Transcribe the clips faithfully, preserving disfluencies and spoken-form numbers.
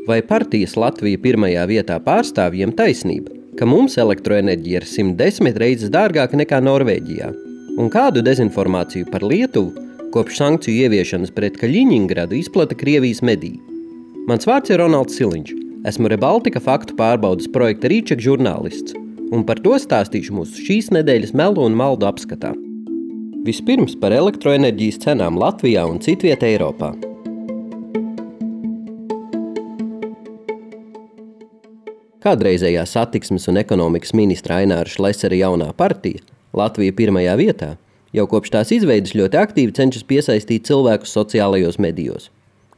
Vai partijas Latvija pirmajā vietā pārstāvjiem taisnība, ka mums elektroenerģija ir simt desmit reizes dārgāka nekā Norvēģijā? Un kādu dezinformāciju par Lietuvu kopš sankciju ieviešanas pret Kaļiņingradu izplata Krievijas mediji? Mans vārds ir Ronalds Siliņš. Esmu Rebaltika faktu pārbaudas projekta Rīček žurnālists, un par to stāstīšu mūsu šīs nedēļas melu un maldu apskatā. Vispirms par elektroenerģijas cenām Latvijā un citviet Eiropā. Kādreizējā satiksmes un ekonomikas ministra Aināra Šlesera jaunā partija, Latvija pirmajā vietā, jau kopš tās izveides ļoti aktīvi cenšas piesaistīt cilvēkus sociālajos medijos.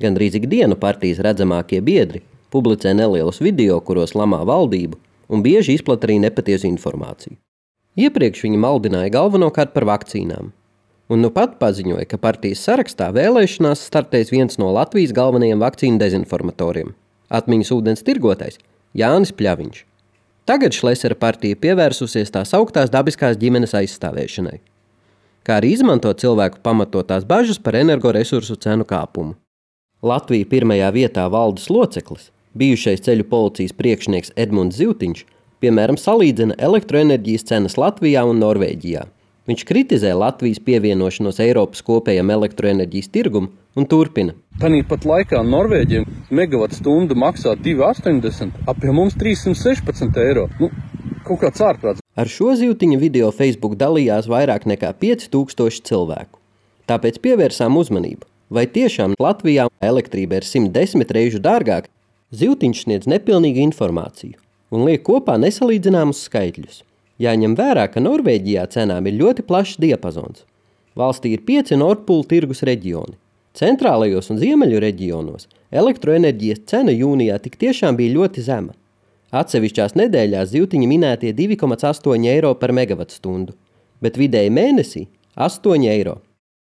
Gandrīz ikdienu partijas redzamākie biedri publicē nelielus video, kuros lamā valdību, un bieži izplata arī nepatiesu informāciju. Iepriekš viņi maldināja galvenokārt par vakcīnām, un nu pat paziņoja, ka partijas sarakstā vēlēšanās startēs viens no Latvijas galvenajiem vakcīnu dezinformatoriem – atmiņas ūdens tirgotais Jānis Pļaviņš. Tagad Šlesera partija pievērsusies tās augtās dabiskās ģimenes aizstāvēšanai, kā arī izmanto cilvēku pamatotās bažas par energoresursu cenu kāpumu. Latvija pirmajā vietā valdes loceklis, bijušais ceļu policijas priekšnieks Edmunds Zivtiņš, piemēram, salīdzina elektroenerģijas cenas Latvijā un Norvēģijā. Viņš kritizē Latvijas pievienošanos Eiropas kopējam elektroenerģijas tirgumu un turpina. Tanī pat laikā Norvēģiem megawatstundu maksā divi astoņdesmit, ap pie mums trīssimt sešpadsmit eiro. Nu, kaut kāds ārprāts. Ar šo Zivtiņa video Facebook dalījās vairāk nekā pieci tūkstoši cilvēku. Tāpēc pievērsām uzmanību, vai tiešām Latvijā elektrība ir simt desmit reižu dārgāka. Zivtiņš sniedz nepilnīgu informāciju un liek kopā nesalīdzināmus skaitļus. Jāņem vērā, ka Norvēģijā cenām ir ļoti plašs diapazons. Valstī ir pieci Nord Pool tirgus reģioni. Centrālajos un ziemeļu reģionos elektroenerģijas cena jūnijā tik tiešām bija ļoti zema. Atsevišķās nedēļās Zivtiņa minētie divi komats astoņi eiro par megavatstundu, bet vidēji mēnesī astoņi eiro.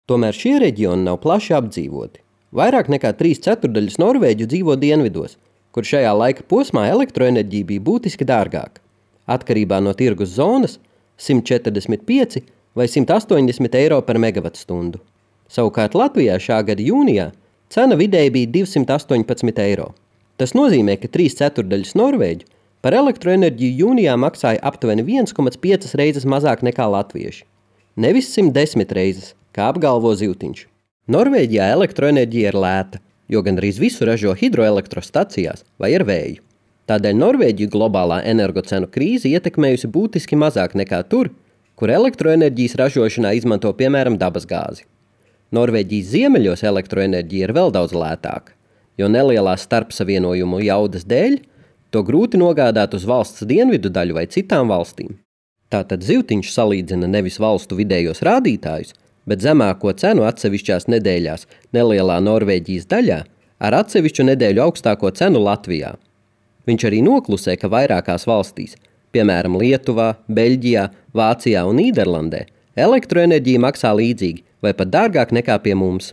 Tomēr šie reģioni nav plaši apdzīvoti. Vairāk nekā trīs ceturdaļas norvēģu dzīvo dienvidos, kur šajā laika posmā elektroenerģija bija būtiski dārgāka. Atkarībā no tirgus zonas simt četrdesmit pieci vai simt astoņdesmit eiro par megavatstundu. Savukārt Latvijā šā gada jūnijā cena vidēji bija divsimt astoņpadsmit eiro. Tas nozīmē, ka trīs ceturdaļas norvēģu par elektroenerģiju jūnijā maksāja aptuveni viens komats pieci reizes mazāk nekā latvieši. Nevis simt desmit reizes, kā apgalvo Zivtiņš. Norvēģijā elektroenerģija ir lēta, jo gandrīz visu ražo hidroelektrostacijās vai ar vēju. Tādēļ Norvēģiju globālā energocenu krīze ietekmējusi būtiski mazāk nekā tur, kur elektroenerģijas ražošanā izmanto piemēram dabasgāzi. Norvēģijas ziemeļos elektroenerģija ir vēl daudz lētāka, jo nelielā starpsavienojumu jaudas dēļ to grūti nogādāt uz valsts dienvidu daļu vai citām valstīm. Tātad Zivtiņš salīdzina nevis valstu vidējos rādītājus, bet zemāko cenu atsevišķās nedēļās nelielā Norvēģijas daļā ar atsevišķu nedēļu augstāko cenu Latvijā. Viņš arī noklusē, ka vairākās valstīs, piemēram Lietuvā, Beļģijā, Vācijā un Nīderlandē, elektroenerģija maksā līdzīgi vai pat dārgāk nekā pie mums.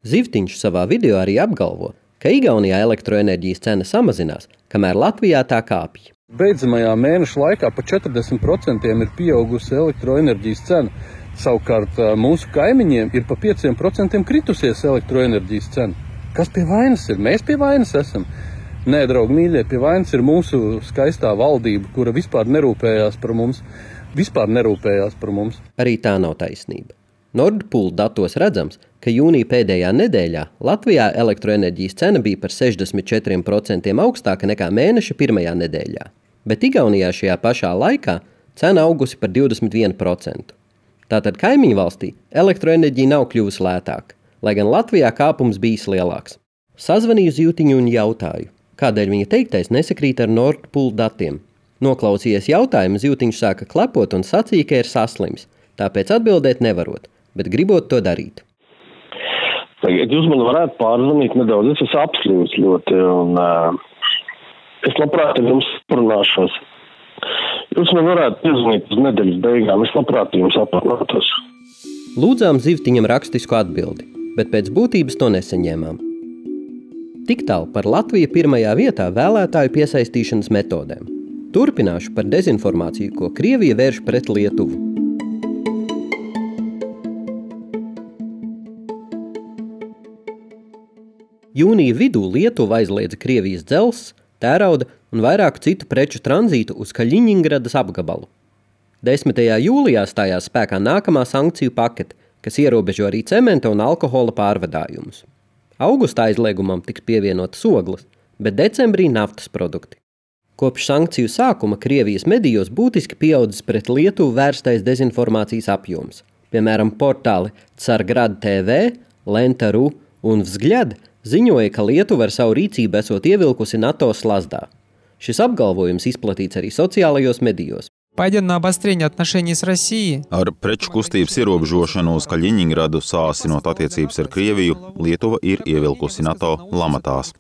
Zivtiņš savā video arī apgalvo, ka Igaunijā elektroenerģijas cena samazinās, kamēr Latvijā tā kāpj. Beidzamajā mēneša laikā pa četrdesmit procentiem ir pieaugusi elektroenerģijas cena. Savukārt mūsu kaimiņiem ir pa pieciem procentiem kritusies elektroenerģijas cena. Kas pie vainas ir? Mēs pie vainas esam. Nē, draugi mīļie, pie vainas ir mūsu skaistā valdība, kura vispār nerūpējās par mums. Vispār nerūpējās par mums. Arī tā nav taisnība. Nord Pool datos redzams, ka jūnija pēdējā nedēļā Latvijā elektroenerģijas cena bija par sešdesmit četriem procentiem augstāka nekā mēneša pirmajā nedēļā, bet Igaunijā šajā pašā laikā cena augusi par divdesmit vienu procentu. Tātad kaimiņu valstī elektroenerģija nav kļuvusi lētāka, lai gan Latvijā kāpums bijis lielāks. Sazvanīju Zivtiņu un jautāju, kādēļ viņa teiktais nesakrīt ar Nord Pool datiem. Noklausījies jautājumu, Zivtiņš sāka klepot un sacīja, ka ir saslims, tāpēc atbildēt nevarot, bet gribot to darīt. Tagad jūs man varētu pārzvanīt nedaudz, es esmu apslims ļoti, un uh, es labprāt ar jums parunāšos. Jūs man varētu piezvanīt uz nedēļas beigām, es labprāt jums aprunātos. Lūdzām Zivtiņam rakstisku atbildi, bet pēc būtības to nesaņēmām. Tik tālu par Latviju pirmajā vietā vēlētāju piesaistīšanas metodēm. Turpināšu par dezinformāciju, ko Krievija vērš pret Lietuvu. Jūnija vidū Lietuva aizliedza Krievijas dzelzs, tērauda un vairāku citu preču tranzītu uz Kaļiņingradas apgabalu. desmitajā jūlijā stājās spēkā nākamā sankciju pakete, kas ierobežo arī cementa un alkohola pārvadājumus. Augustā aizliegumam tiks pievienotas ogles, bet decembrī naftas produkti. Kopš sankciju sākuma Krievijas medijos būtiski pieaudzis pret Lietuvu vērstais dezinformācijas apjoms. Piemēram, portāli Cargrad T V, Lenta.ru un Vzgļad ziņoja, ka Lietuva ar savu rīcību esot ievilkusi NATO slazdā. Šis apgalvojums izplatīts arī sociālajos medijos. Paidiet на обострение отношений с Россией. Ar preču kustības ierobežošanu uz Kaļiņingradu sāsinot attiecības ar Krieviju, Lietuva ir ievilkusi NATO lamatās.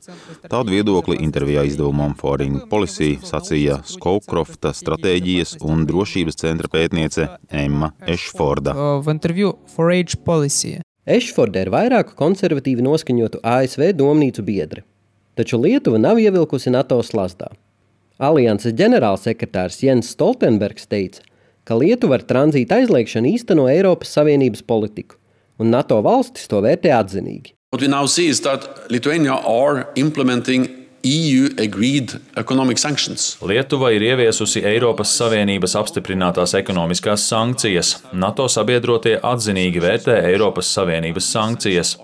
Tādu viedokli intervijā izdevumam Foreign Policy sacīja Skowkrofta stratēģijas un drošības centra pētniece Emma Ešforda. В интервью Foreign Policy. Ešforda ir vairāku konservatīvi noskaņotu A S V domnīcu biedri, taču Lietuva nav ievilkusi NATO slazdā. Alianses ģenerālsekretārs Jens Stoltenbergs teica, ka Lietuva ar tranzīta aizliegšanu īsteno Eiropas Savienības politiku, un NATO valstis to vērtē atzinīgi. What we now see is that Lithuania are implementing E U-agreed economic sanctions. Lietuva ir ieviesusi Eiropas Savienības apstiprinātās ekonomiskās sankcijas. NATO sabiedrotie atzinīgi vērtē Eiropas Savienības sankcijas.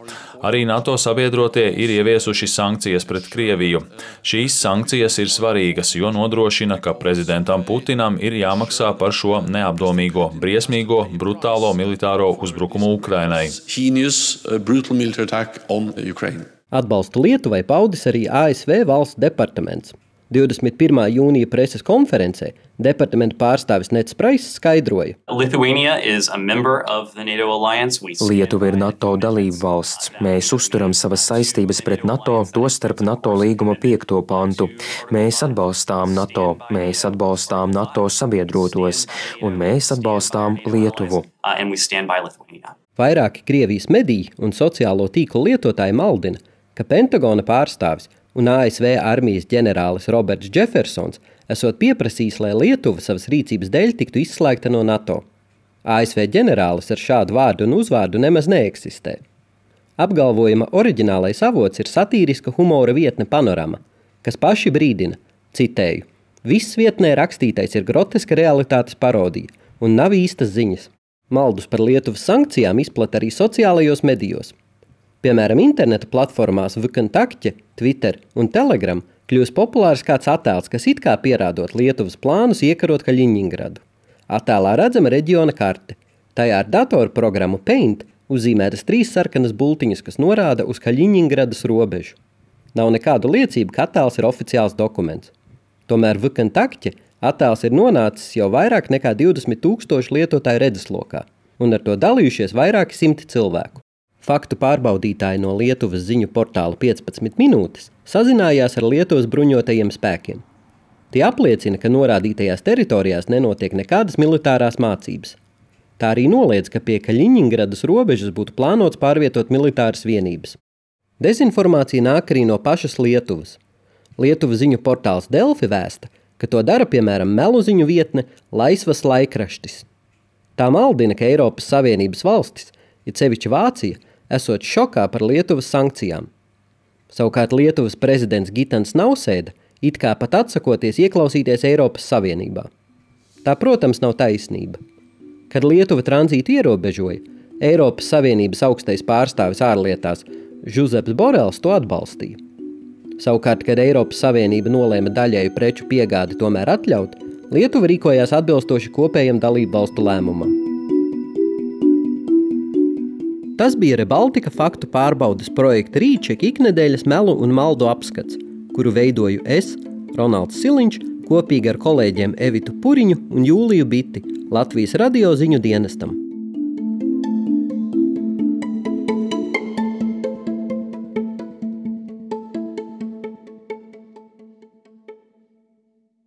Arī NATO sabiedrotie ir ieviesuši sankcijas pret Krieviju. Šīs sankcijas ir svarīgas, jo nodrošina, ka prezidentam Putinam ir jāmaksā par šo neapdomīgo, briesmīgo, brutālo militāro uzbrukumu Ukrainai. Heinous, uh, brutal military attack on Ukraine. Atbalstu Lietuvai paudis arī A S V valsts departaments. divdesmit pirmā jūnija preses konferencē departamenta pārstāvis Nets Prais skaidroja. Lietuva ir NATO dalība valsts. Mēs uzturam savas saistības pret NATO, tostarp NATO līguma piekto pantu. Mēs atbalstām NATO, mēs atbalstām NATO sabiedrotos, un mēs atbalstām Lietuvu. Vairāki Krievijas mediji un sociālo tīklu lietotāji maldina, ka Pentagona pārstāvis un A S V armijas ģenerālis Roberts Jeffersons esot pieprasījis, lai Lietuva savas rīcības dēļ tiktu izslēgta no NATO. A S V ģenerālis ar šādu vārdu un uzvārdu nemaz neeksistē. Apgalvojuma oriģinālais avots ir satīriska humora vietne Panorama, kas paši brīdina, citēju, viss vietnē rakstītais ir groteska realitātes parodija un nav īstas ziņas. Maldus par Lietuvas sankcijām izplata arī sociālajos medijos. Piemēram, interneta platformās VKontakte, Twitter un Telegram kļūst populārs kāds attēls, kas it kā pierādot Lietuvas plānus iekarot Kaļiņingradu. Attēlā redzama reģiona karte. Tajā ar datorprogrammu Paint uzzīmētas trīs sarkanas bultiņas, kas norāda uz Kaļiņingradas robežu. Nav nekādu liecību, ka attēls ir oficiāls dokuments. Tomēr VKontakte attēls ir nonācis jau vairāk nekā divdesmit tūkstoši lietotāju redzeslokā, un ar to dalījušies vairāki simti cilvēku. Faktu pārbaudītāji no Lietuvas ziņu portāla piecpadsmit minūtes sazinājās ar Lietuvas bruņotajiem spēkiem. Tie apliecina, ka norādītajās teritorijās nenotiek nekādas militārās mācības. Tā arī noliedz, ka pie Kaļiņingradas robežas būtu plānots pārvietot militāras vienības. Dezinformācija nāk arī no pašas Lietuvas. Lietuvas ziņu portāls Delfi vēsta, ka to dara, piemēram, melu ziņu vietne Laisvas laikraštis. Tā maldina, ka Eiropas Savienības valstis, it sevišķi Vācija, esot šokā par Lietuvas sankcijām. Savukārt Lietuvas prezidents Gitans Nausēda it kā pat atsakoties ieklausīties Eiropas Savienībā. Tā, protams, nav taisnība. Kad Lietuva tranzītu ierobežoja, Eiropas Savienības augstais pārstāvis ārlietās Žuzeps Borels to atbalstīja. Savukārt, kad Eiropas Savienība nolēma daļēju preču piegādi tomēr atļaut, Lietuva rīkojās atbilstoši kopējam dalību valstu lēmumam. Tas bija Rebaltika faktu pārbaudes projekta Rīček iknedēļas melu un maldu apskats, kuru veidoju es, Ronalds Siliņš, kopīgi ar kolēģiem Evitu Puriņu un Jūliju Biti, Latvijas radio ziņu dienestam.